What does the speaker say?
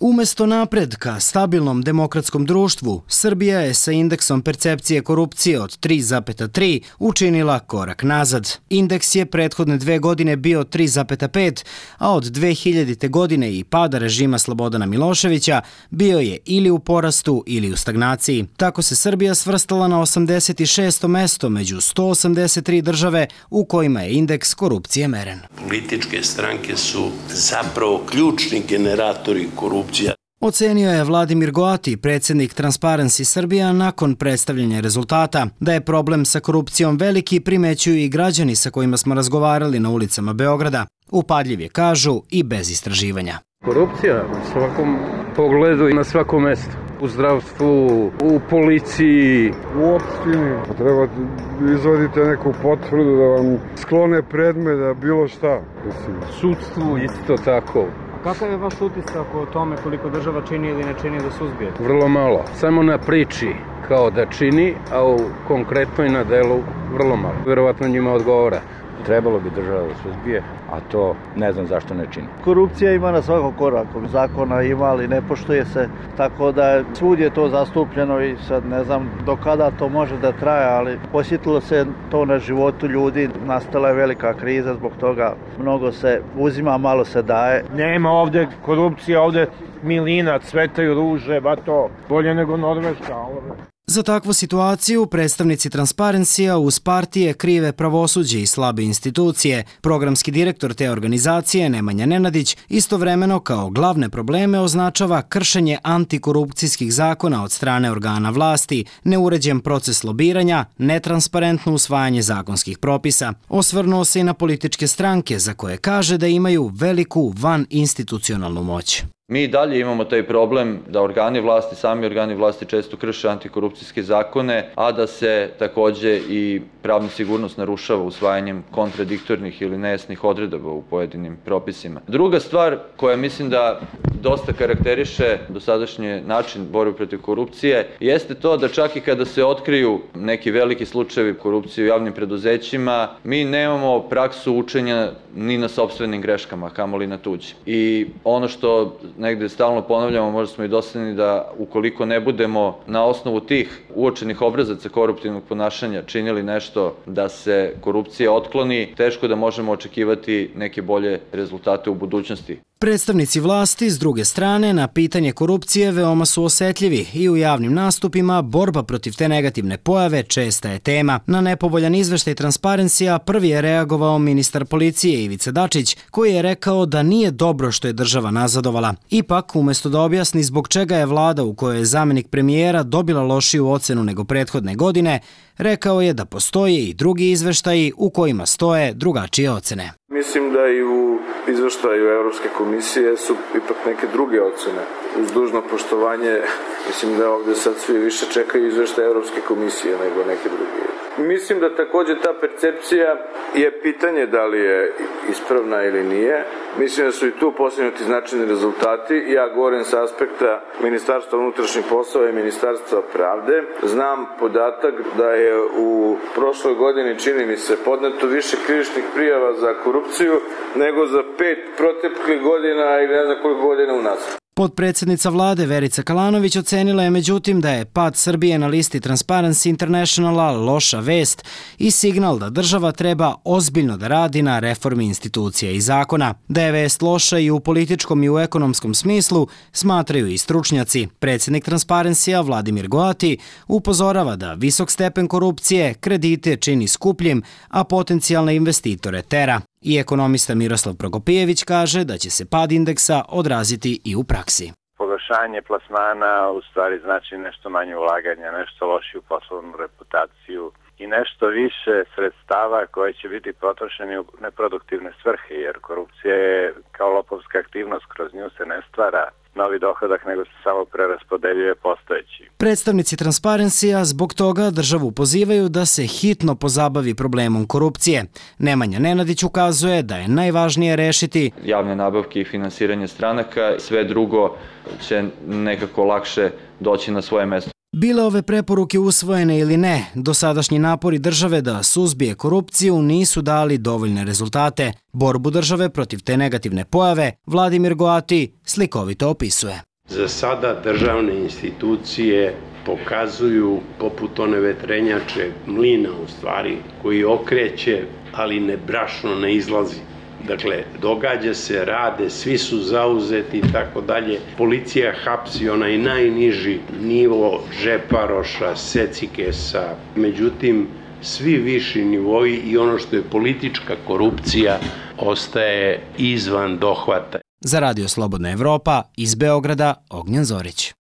Umesto napred ka stabilnom demokratskom društvu, Srbija je sa indeksom percepcije korupcije od 3,3 učinila korak nazad. Indeks je prethodne 2 godine bio 3,5, a od 2000. godine i pada režima Slobodana Miloševića bio je ili u porastu ili u stagnaciji. Tako se Srbija svrstala na 86. mesto među 183 države u kojima je indeks korupcije meren. Političke stranke su zapravo ključni generatori korupcije. Ocenio je Vladimir Goati, predsjednik Transparency Srbija, nakon predstavljanja rezultata. Da je problem sa korupcijom veliki primećuju i građani sa kojima smo razgovarali na ulicama Beograda. Upadljiv je, kažu, i bez istraživanja. Korupcija u svakom pogledu i na svakom mestu. U zdravstvu, u policiji, u opštini. Treba izvadite neku potvrdu da vam sklone predmet, da bilo šta. Sudstvu isto tako. Kakav je vaš utisak o tome koliko država čini ili ne čini da suzbije? Vrlo malo. Samo na priči kao da čini, a u konkretnoj na delu vrlo malo. Verovatno njima odgovara. Trebalo bi država da suzbije, a to ne znam zašto ne čini. Korupcija ima na svakom koraku. Zakona ima, ali ne poštuje se. Tako da svud je to zastupljeno i sad ne znam do kada to može da traje, ali osjetilo se to na životu ljudi. Nastala je velika kriza zbog toga. Mnogo se uzima, malo se daje. Nema ovde korupcije, ovde milina, cvetaju ruže, ba to bolje nego Norveška. Za takvu situaciju predstavnici Transparency-a uz partije krive pravosuđe i slabe institucije. Programski direktor te organizacije, Nemanja Nenadić, istovremeno kao glavne probleme označava kršenje antikorupcijskih zakona od strane organa vlasti, neuređen proces lobiranja, netransparentno usvajanje zakonskih propisa. Osvrnuo se i na političke stranke za koje kaže da imaju veliku vaninstitucionalnu moć. Mi dalje imamo taj problem da sami organi vlasti često krše antikorupcijske zakone, a da se takođe i pravna sigurnost narušava usvajanjem kontradiktornih ili nejasnih odredaba u pojedinim propisima. Druga stvar koja mislim da dosta karakteriše dosadašnji način borbe protiv korupcije jeste to da čak i kada se otkriju neki veliki slučajevi korupcije u javnim preduzećima, mi nemamo praksu učenja ni na sopstvenim greškama, kamoli na tuđi. I ono što negde stalno ponavljamo, možda smo i dosadni da ukoliko ne budemo na osnovu tih uočenih obrazaca koruptivnog ponašanja činili nešto da se korupcija otkloni, teško da možemo očekivati neke bolje rezultate u budućnosti. Predstavnici vlasti, s druge strane, na pitanje korupcije veoma su osetljivi i u javnim nastupima borba protiv te negativne pojave česta je tema. Na nepovoljan izveštaj Transparency-a prvi je reagovao ministar policije Ivica Dačić, koji je rekao da nije dobro što je država nazadovala. Ipak, umesto da objasni zbog čega je vlada u kojoj je zamenik premijera dobila lošiju ocenu nego prethodne godine, rekao je da postoje i drugi izveštaji u kojima stoje drugačije ocene. Mislim da i u izveštaju Evropske komisije su ipak neke druge ocene. Uz dužno poštovanje, mislim da ovde sad svi više čekaju izveštaj Evropske komisije nego neke druge. Mislim da takođe ta percepcija je pitanje da li je ispravna ili nije. Mislim da su i tu postignuti značajni rezultati. Ja govorim sa aspekta Ministarstva unutrašnjih poslova i Ministarstva pravde. Znam podatak da je u prošloj godini, čini mi se, podneto više krivičnih prijava za korupciju nego za 5 proteklih godina ili ne znam koliko godina unazad. Potpredsjednica vlade Verica Kalanović ocenila je međutim da je pad Srbije na listi Transparency Internationala loša vest i signal da država treba ozbiljno da radi na reformi institucija i zakona. Da je vest loša i u političkom i u ekonomskom smislu smatraju i stručnjaci. Predsjednik Transparency-a Vladimir Goati upozorava da visok stepen korupcije kredite čini skupljim, a potencijalne investitore tera. I ekonomista Miroslav Prokopijević kaže da će se pad indeksa odraziti i u praksi. Pogoršanje plasmana u stvari znači nešto manje ulaganja, nešto lošiju poslovnu reputaciju i nešto više sredstava koje će biti potrošeni u neproduktivne svrhe, jer korupcija je kao lopovska aktivnost, kroz nju se ne stvara novi dohodak, nego se samo preraspodeljuje postojeći. Predstavnici Transparency-a zbog toga državu pozivaju da se hitno pozabavi problemom korupcije. Nemanja Nenadić ukazuje da je najvažnije rešiti javne nabavke i finansiranje stranaka, sve drugo će nekako lakše doći na svoje mesto. Bile ove preporuke usvojene ili ne, dosadašnji napori države da suzbije korupciju nisu dali dovoljne rezultate. Borbu države protiv te negativne pojave Vladimir Goati slikovito opisuje. Za sada državne institucije pokazuju poput one vetrenjače, mlina u stvari, koji okreće, ali ne brašno ne izlazi. Dakle, događa se, rade, svi su zauzeti i tako dalje. Policija hapsi onaj najniži nivo džeparoša, secikesa. Međutim, svi viši nivoi i ono što je politička korupcija ostaje izvan dohvata. Za Radio Slobodna Evropa iz Beograda, Ognjen Zorić.